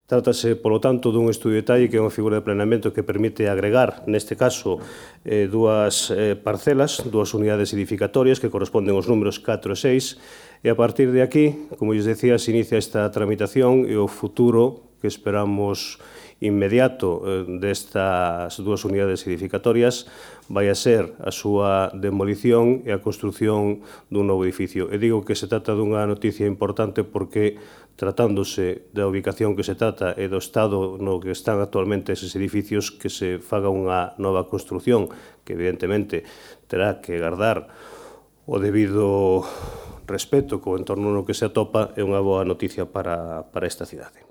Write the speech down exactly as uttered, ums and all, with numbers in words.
Trátase, polo tanto, dun estudio de detalle que é unha figura de planeamento que permite agregar, neste caso, eh, dúas eh, parcelas, dúas unidades edificatorias que corresponden aos números catro e seis, e a partir de aquí, como lles decía, se inicia esta tramitación e o futuro que esperamos inmediato eh, destas dúas unidades edificatorias vai a ser a súa demolición e a construción dun novo edificio. E digo que se trata dunha noticia importante porque, tratándose da ubicación que se trata e do estado no que están actualmente eses edificios, que se faga unha nova construción que, evidentemente, terá que guardar o debido respeto co entorno no que se atopa, é unha boa noticia para, para esta cidade.